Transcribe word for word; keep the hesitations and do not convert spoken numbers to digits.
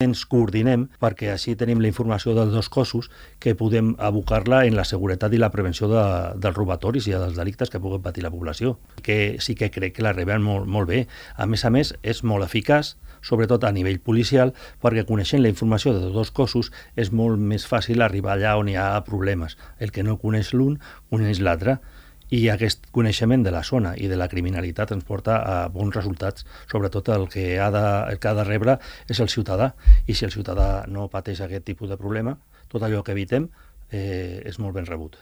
ens coordinem perquè així tenim la informació dels dos cossos que podem abocar-la en la seguretat i la prevenció de, dels robatoris i dels delictes que puguen patir la població. Que sí que crec que la rebem molt, molt bé. A més a més, és molt eficaç, sobretot a nivell policial, perquè coneixent la informació dels dos cossos és molt més fàcil arribar allà on hi ha problemes. El que no coneix l'un, coneix l'altre. I aquest coneixement de la zona i de la criminalitat ens porta a bons resultats. Sobretot el que ha de, el que ha de rebre és el ciutadà. I si el ciutadà no pateix aquest tipus de problema, tot allò que evitem eh, és molt ben rebut.